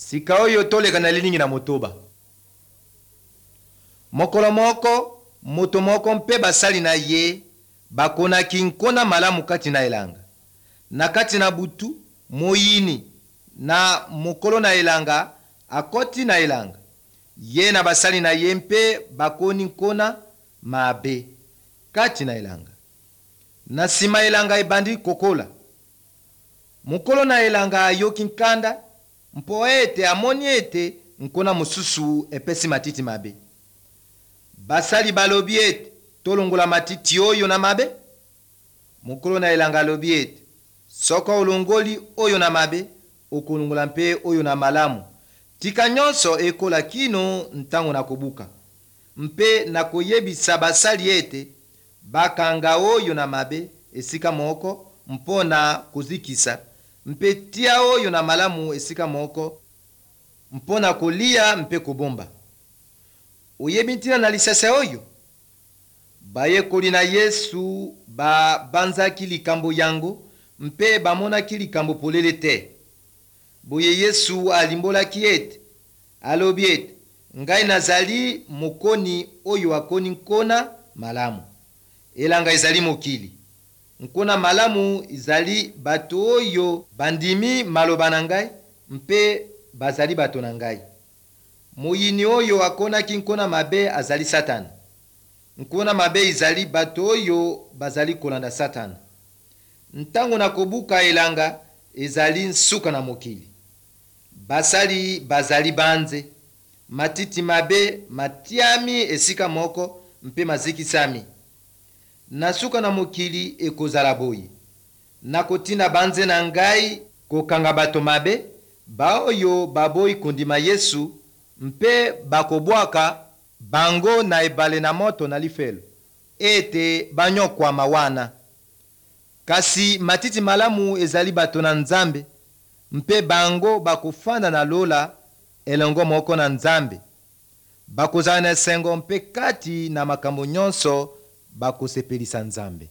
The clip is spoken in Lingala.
Sika oyo toleka na lilingi na motoba. Mokolo moko, moto moko mpe basali na ye bakonaki nkona malamu kati na elanga. Na kati na butu, moyini na mokolo na elanga akoti na elanga. Ye na basali na ye mpe bakoni nkona mabe kati na elanga. Na nsima elanga ebandi kokola. Mokolo na elanga ayoki nkanda mpo ete amoni ete nkona mosusu epesi matiti mabe. Basali balobi ete tolongola matiti oyo na mabe. Mokolo na elanga alobi ete soko olongoli oyo na mabe, okolongola mpe oyo na malamu. Tika nyonso ekola kino ntango na kobuka. Mpe nakoyebisa basali ete bakanga oyo na mabe esika moko mpo na kozikisa, mpe tia oyo na malamu esika moko mpo na kolia mpe kobomba. Oyebi ntina na lisese oyo? Bayekoli na Yesu babanzaki likambo yango mpe bamonaki likambo polele te. Boye Yesu alimbolaki ete, alobi ete, ngai nazali mokoni oyo akoni nkona malamu. Elanga ezali mokili. Nkona malamu ezali bato oyo bandimi maloba na ngai mpe bazali bato na ngai. Moyini oyo akonaki nkona mabe azali Satana. Nkona mabe ezali bato oyo bazali kolanda Satana. Ntango na kobuka elanga ezali nsuka na mokili. Basali bazali banze. Matiti mabe matiami esika moko mpe mazikisami. Na suka na mokili ekozala boye. Nakotinda banze na ngai kokanga bato mabe, baoyo baboyi kondima Yesu, mpe bakobwaka bango na ebale na moto na lifelo, ete banyokwama wana. Kasi matiti malamu ezali bato na Nzambe, mpe bango bakofanda na lola elongo moko na Nzambe. Bakozala na esengo mpe kati na makambo nyonso bakosepelisa Nzambe.